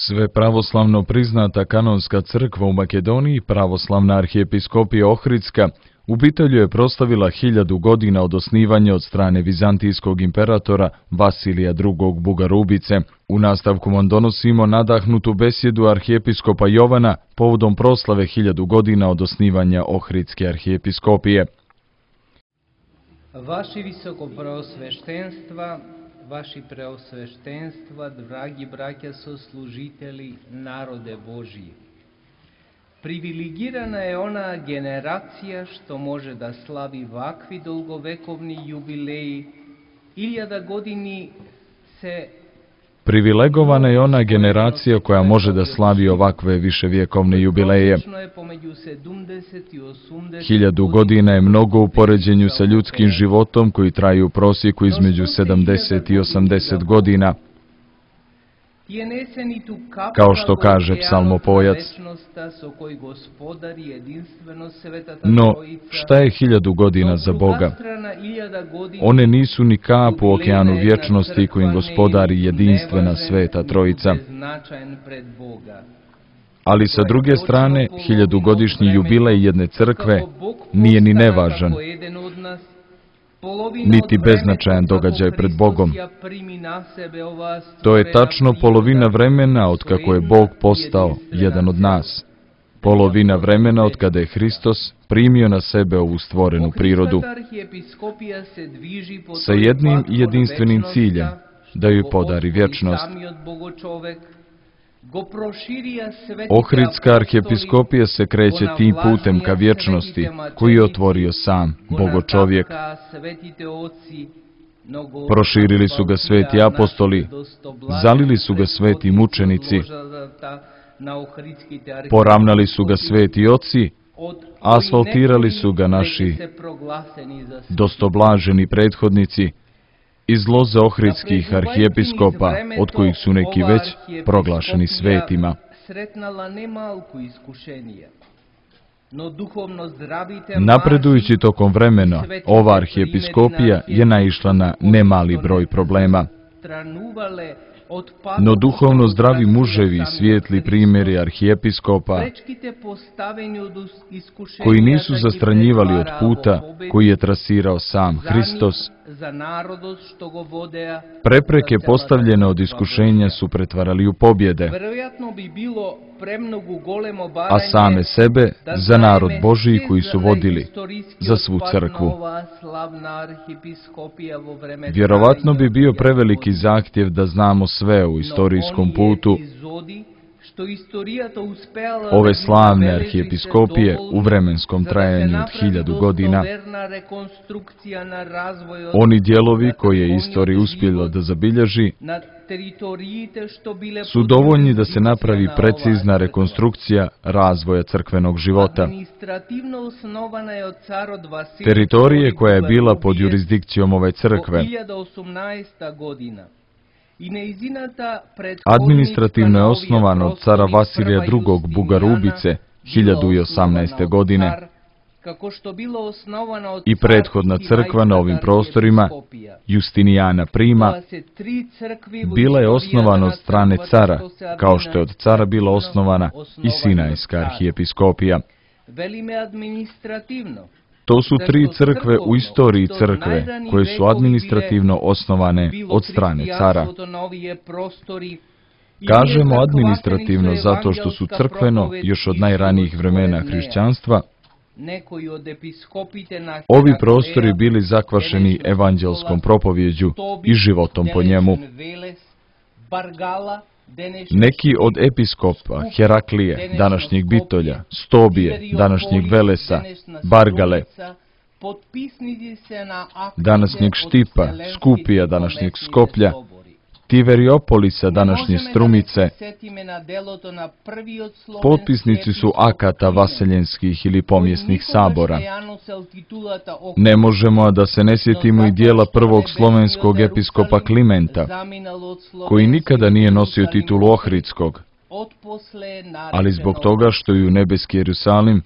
Sve pravoslavno priznata kanonska crkva u Makedoniji, pravoslavna arhijepiskopija Ohridska, u Bitelju je proslavila 1000 godina od osnivanja od strane vizantijskog imperatora Vasilija II. Bugarubice. U nastavku vam donosimo nadahnutu besjedu arhijepiskopa Jovana povodom proslave 1000 godina od osnivanja Ohridske arhijepiskopije. Vaši visokopreosveštenstva, vaši preosveštenstva, dragi braća soslužitelji, narode Božji. Privilegirana je ona generacija što može da slavi ovakvi dolgovekovni jubileji. 1000 godini se... Privilegovana je ona generacija koja može da slavi ovakve viševjekovne jubileje. 1000 godina je mnogo u poređenju sa ljudskim životom koji traju u prosjeku između 70 i 80 godina. Kao što kaže psalmopojac. No, šta je 1000 godina za Boga? One nisu ni kap u okeanu vječnosti kojim gospodari jedinstvena sveta trojica. Ali sa druge strane, 1000-godišnji jubilej jedne crkve nije ni nevažan, niti beznačajan događaj pred Bogom. To je tačno polovina vremena od kako je Bog postao jedan od nas. Polovina vremena od kada je Hristos primio na sebe ovu stvorenu prirodu. Sa jednim i jedinstvenim ciljem, da joj podari vječnost. Ohridska arhijepiskopija se kreće tim putem ka vječnosti, koji je otvorio sam, Bogočovjek. Proširili su ga sveti apostoli, zalili su ga sveti mučenici, poravnali su ga sveti oci, asfaltirali su ga naši dostoblaženi prethodnici, iz loze ohridskih arhijepiskopa, od kojih su neki već proglašeni svetima. Napredujući tokom vremena, ova arhijepiskopija je naišla na nemali broj problema. No duhovno zdravi muževi i svijetli primjeri arhijepiskopa, koji nisu zastranjivali od puta koji je trasirao sam Hristos, prepreke postavljene od iskušenja su pretvarali u pobjede, a same sebe za narod Božiji koji su vodili za svu crkvu. Vjerovatno bi bio preveliki zahtjev da znamo sve u istorijskom putu ove slavne arhijepiskopije u vremenskom trajanju od 1000 godina. Oni dijelovi koje je istorija uspjela da zabilježi su dovoljni da se napravi precizna rekonstrukcija razvoja crkvenog života. Teritorije koja je bila pod jurisdikcijom ove crkve administrativno je osnovano od cara Vasilija II. Bugarubice 1018. godine i prethodna crkva na ovim prostorima, Justinijana Prima, bila je osnovana od strane cara, kao što je od cara bila osnovana i Sinajska arhijepiskopija. To su 3 crkve u istoriji crkve, koje su administrativno osnovane od strane cara. Kažemo administrativno zato što su crkveno, još od najranijih vremena hrišćanstva, ovi prostori bili zakvašeni evanđelskom propovjeđu i životom po njemu. Neki od episkopa Heraklije, današnjeg Bitolja, Stobije, današnjeg Velesa, Bargale, današnjeg Štipa, Skupija, današnjeg Skoplja, Tiveriopolisa, današnje Strumice, potpisnici su akata vaseljenskih ili pomjesnih sabora. Ne možemo da se ne sjetimo i dijela prvog slovenskog episkopa Klimenta, koji nikada nije nosio titulu Ohridskog, ali zbog toga što je u nebeski Jerusalim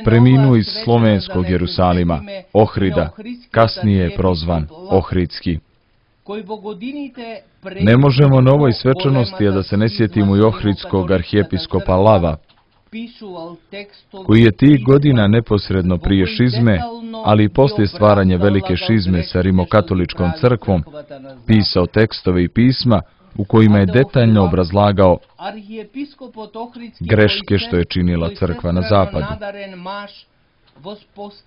preminuo iz slovenskog Jerusalima, Ohrida, kasnije je prozvan Ohridski. Ne možemo na ovoj svečanosti, a da se ne sjetimo i ohridskog arhijepiskopa Lava, koji je tih godina neposredno prije šizme, ali i poslije stvaranja velike šizme sa rimokatoličkom crkvom, pisao tekstove i pisma u kojima je detaljno obrazlagao greške što je činila crkva na zapadu.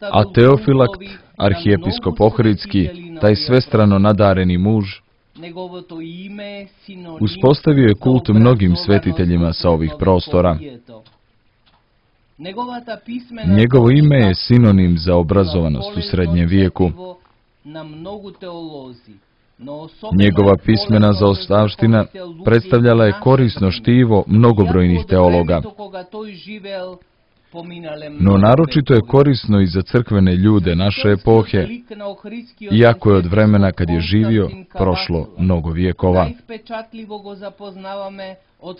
A Teofilakt, arhijepiskop ohridski, taj svestrano nadareni muž, uspostavio je kult mnogim svetiteljima sa ovih prostora. Njegovo ime je sinonim za obrazovanost u srednjem vijeku. Njegova pismena zaostavština predstavljala je korisno štivo mnogobrojnih teologa. No naročito je korisno i za crkvene ljude naše epohe, iako je od vremena kad je živio prošlo mnogo vijekova.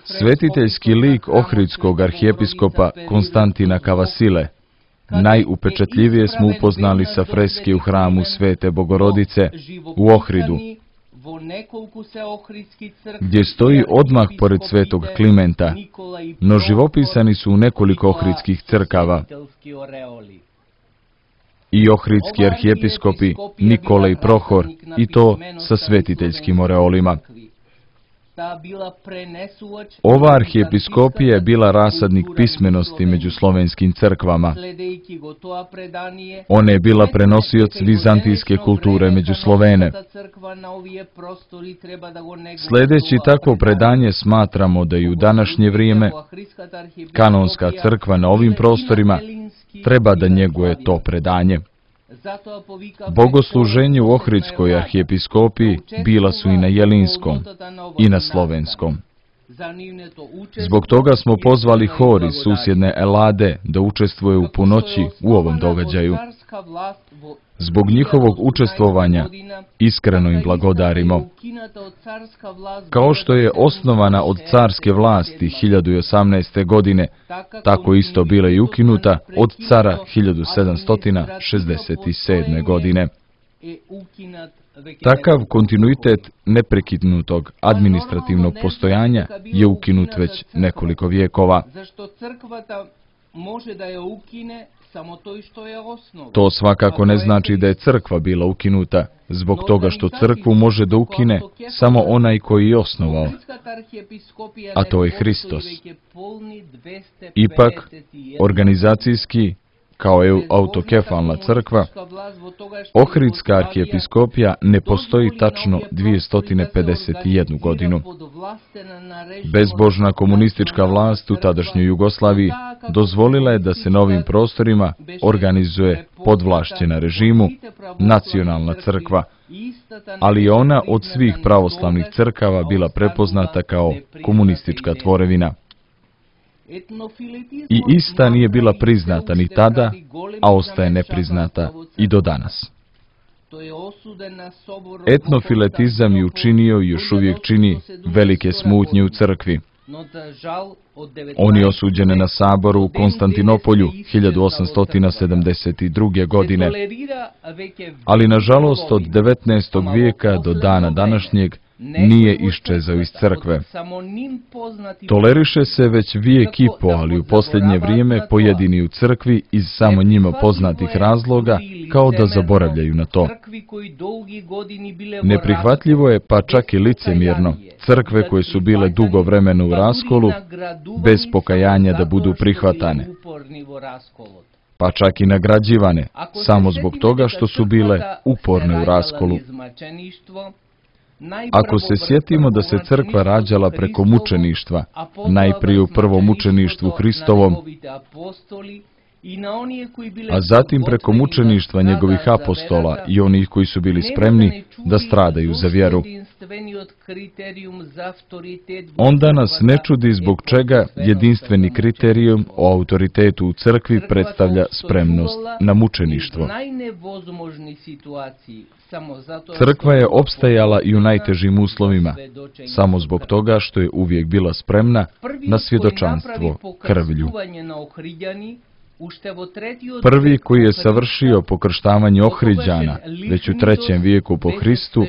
Svetiteljski lik ohridskog arhijepiskopa Konstantina Kavasile najupečatljivije smo upoznali sa freske u hramu Svete Bogorodice u Ohridu, gdje stoji odmah pored svetog Klimenta, no živopisani su u nekoliko ohridskih crkava. I ohridski arhijepiskopi Nikola i Prohor, i to sa svetiteljskim oreolima. Ova arhijepiskopija je bila rasadnik pismenosti među slovenskim crkvama. Ona je bila prenosioc vizantijske kulture među Slovene. Sljedeći takvo predanje smatramo da i u današnje vrijeme kanonska crkva na ovim prostorima treba da njeguje to predanje. Bogosluženje u ohridskoj arhijepiskopiji bila su i na jelinskom i na slovenskom. Zbog toga smo pozvali hor iz susjedne Elade da učestvuje u punoći u ovom događaju. Zbog njihovog učestvovanja iskreno im blagodarimo. Kao što je osnovana od carske vlasti 1018. godine, tako isto bila i ukinuta od cara 1767. godine. Takav kontinuitet neprekidnutog administrativnog postojanja je ukinut već nekoliko vijekova. To svakako ne znači da je crkva bila ukinuta, zbog toga što crkvu može da ukine samo onaj koji je osnovao, a to je Hristos. Ipak, organizacijski, kao je autokefalna crkva, ohridska arhijepiskopija ne postoji tačno 251 godinu. Bezbožna komunistička vlast u tadašnjoj Jugoslaviji dozvolila je da se na ovim prostorima organizuje podvlašćena režimu nacionalna crkva, ali je ona od svih pravoslavnih crkava bila prepoznata kao komunistička tvorevina. I ista nije bila priznata ni tada, a ostaje nepriznata i do danas. Etnofiletizam je učinio i još uvijek čini velike smutnje u crkvi. On je osuđen na saboru u Konstantinopolju 1872. godine, ali nažalost od 19. vijeka do dana današnjeg nije iščezao iz crkve. Toleriše se već vijek i po, ali u posljednje vrijeme pojedini u crkvi iz samo njima poznatih razloga kao da zaboravljaju na to. Neprihvatljivo je, pa čak i licemjerno, crkve koje su bile dugo vremena u raskolu, bez pokajanja da budu prihvatane, pa čak i nagrađivane, samo zbog toga što su bile uporne u raskolu. Ako se sjetimo da se crkva rađala preko mučeništva, najprije u prvom mučeništvu Hristovom, a zatim preko mučeništva njegovih apostola i onih koji su bili spremni da stradaju za vjeru, onda nas ne čudi zbog čega jedinstveni kriterijum o autoritetu u crkvi predstavlja spremnost na mučeništvo. Crkva je opstajala i u najtežim uslovima, samo zbog toga što je uvijek bila spremna na svjedočanstvo krvlju. Prvi koji je savršio pokrštavanje Ohriđana, već u 3. vijeku po Hristu,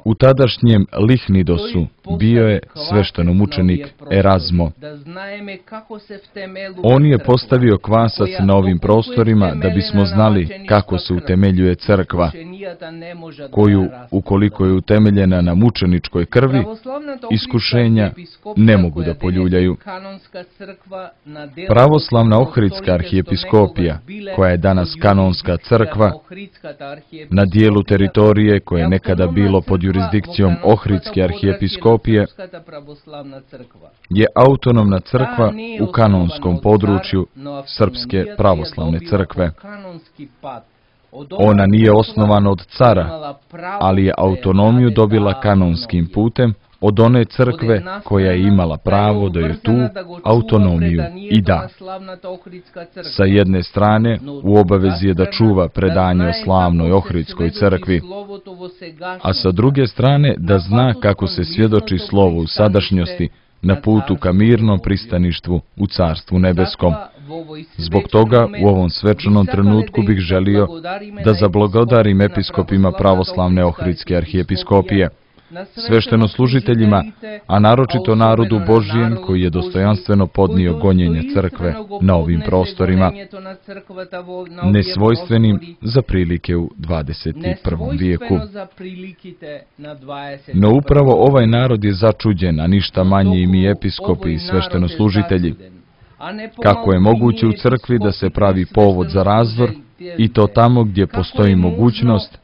u tadašnjem Lihnidosu bio je sveštenomučenik Erazmo. On je postavio kvasac na ovim prostorima da bismo znali kako se utemeljuje crkva, koju, ukoliko je utemeljena na mučeničkoj krvi, iskušenja ne mogu da poljuljaju. Pravoslavna Ohridska arhijepiskopija, koja je danas kanonska crkva, na dijelu teritorije koje je nekada bilo pod jurisdikcijom Ohridske arhijepiskopije, je autonomna crkva u kanonskom području Srpske pravoslavne crkve. Ona nije osnovana od cara, ali je autonomiju dobila kanonskim putem od one crkve koja je imala pravo da joj tu autonomiju i da. Sa jedne strane, u obavezi je da čuva predanje o slavnoj Ohridskoj crkvi, a sa druge strane da zna kako se svjedoči slovo u sadašnjosti na putu ka mirnom pristaništvu u Carstvu nebeskom. Zbog toga, u ovom svečanom trenutku bih želio da zablagodarim episkopima pravoslavne Ohridske arhijepiskopije, sveštenoslужiteljima, a naročito narodu Božijem koji je dostojanstveno podnio gonjenje crkve na ovim prostorima, nesvojstvenim za prilike u 21. vijeku. No upravo ovaj narod je začuđen, a ništa manje i mi episkopi i sveštenoslужitelji. Kako je moguće u crkvi da se pravi povod za razdor, i to tamo gdje postoji mogućnost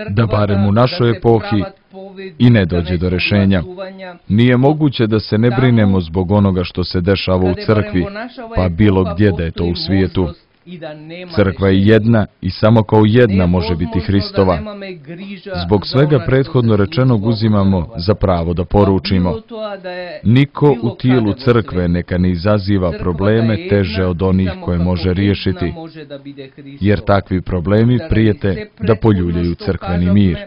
da barem u našoj epohi i ne dođe do rešenja. Nije moguće da se ne brinemo zbog onoga što se dešava u crkvi, pa bilo gdje da je to u svijetu. Crkva je jedna i samo kao jedna može biti Hristova. Zbog svega prethodno rečenog uzimamo za pravo da poručimo: niko u tijelu crkve neka ne izaziva probleme teže od onih koje može riješiti, jer takvi problemi prijete da poljuljaju crkveni mir,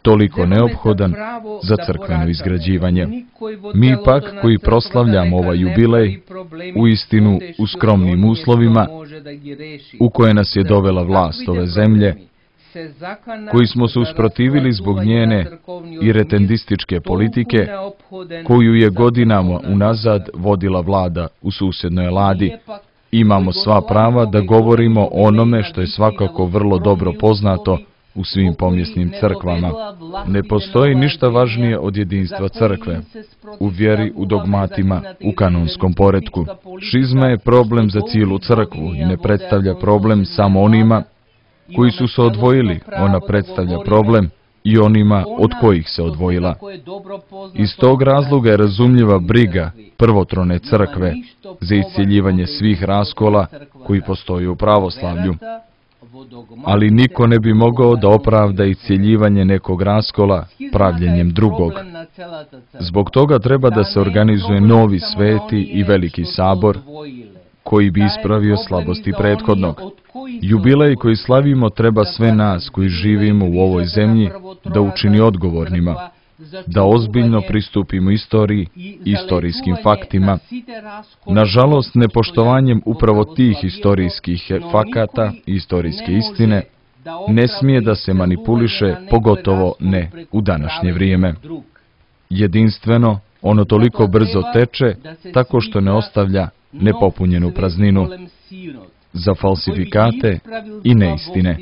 toliko neophodan za crkveno izgrađivanje. Mi pak, koji proslavljamo ovaj jubilej, uistinu u skromnim uslovima, u koje nas je dovela vlast ove zemlje, koji smo se usprotivili zbog njene iretendističke politike, koju je godinama unazad vodila vlada u susjednoj Ladi, imamo sva prava da govorimo o onome što je svakako vrlo dobro poznato u svim pomjesnim crkvama. Ne postoji ništa važnije od jedinstva crkve, u vjeri, u dogmatima, u kanonskom poretku. Šizma je problem za cijelu crkvu i ne predstavlja problem samo onima koji su se odvojili, ona predstavlja problem i onima od kojih se odvojila. Iz tog razloga je razumljiva briga prvotrone crkve za iscijeljivanje svih raskola koji postoje u pravoslavlju. Ali niko ne bi mogao da opravda iscijeljivanje nekog raskola pravljenjem drugog. Zbog toga treba da se organizuje novi sveti i veliki sabor koji bi ispravio slabosti prethodnog. Jubilej koji slavimo treba sve nas koji živimo u ovoj zemlji da učini odgovornima, da ozbiljno pristupimo istoriji i istorijskim faktima. Nažalost, nepoštovanjem upravo tih istorijskih fakata i istorijske istine ne smije da se manipuliše, pogotovo ne u današnje vrijeme. Jedinstveno, ono toliko brzo teče, tako što ne ostavlja nepopunjenu prazninu za falsifikate i neistine.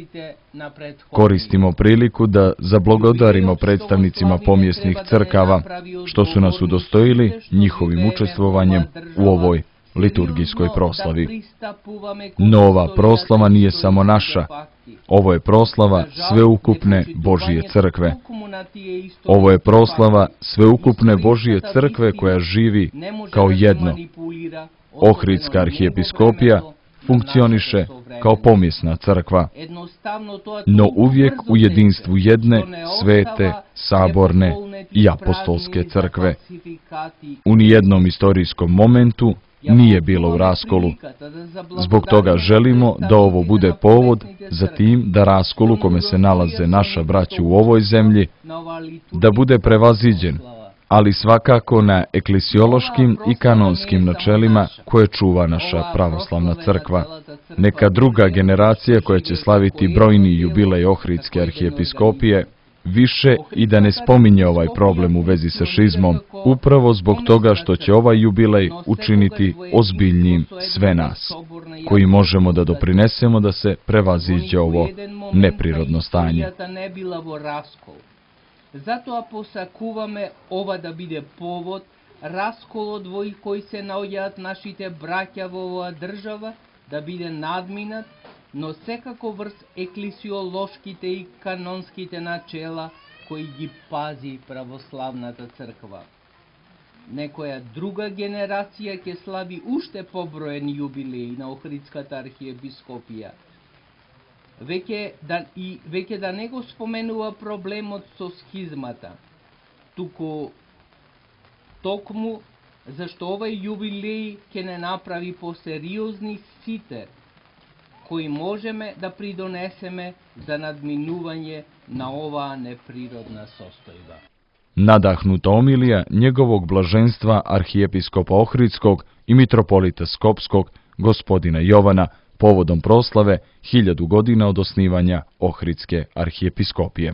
Koristimo priliku da zablagodarimo predstavnicima pomjesnih crkava, što su nas udostojili njihovim učestvovanjem u ovoj liturgijskoj proslavi. No ova proslava nije samo naša, ovo je proslava sveukupne Božije crkve. Ovo je proslava sveukupne Božije crkve koja živi kao jedno. Ohridska arhijepiskopija funkcioniše kao pomjesna crkva, no uvijek u jedinstvu jedne, svete, saborne i apostolske crkve. U nijednom istorijskom momentu nije bilo u raskolu. Zbog toga želimo da ovo bude povod za tim da raskol u kome se nalaze naša braća u ovoj zemlji, da bude prevaziđen ali svakako na eklesiološkim i kanonskim načelima koje čuva naša pravoslavna crkva. Neka druga generacija koja će slaviti brojni jubilej Ohridske arhijepiskopije više i da ne spominje ovaj problem u vezi sa šizmom, upravo zbog toga što će ovaj jubilej učiniti ozbiljnim sve nas, koji možemo da doprinesemo da se prevaziđe ovo neprirodno stanje. Zato посакуваме ова да биде повод, расколот во кој се наоѓаат нашите браќа во оваа држава, да биде надминат, но секако врз еклесиолошките и канонските начела кои ги пази православната црква. Некоја друга генерација ќе слави уште поброен јубилеј на Охридската архиепископија. Веќе да не го споменува проблемот со схизмата, токму зашто овај јубилеј ќе не направи посериозни сите кои можеме да придонесеме за надминување на оваа неприродна состојба. Nadahnuta omilija njegovog blaženstva arhijepiskopa Ohridskog i mitropolita Skopskog, gospodina Jovana, povodom proslave 1000 godina od osnivanja Ohridske arhijepiskopije.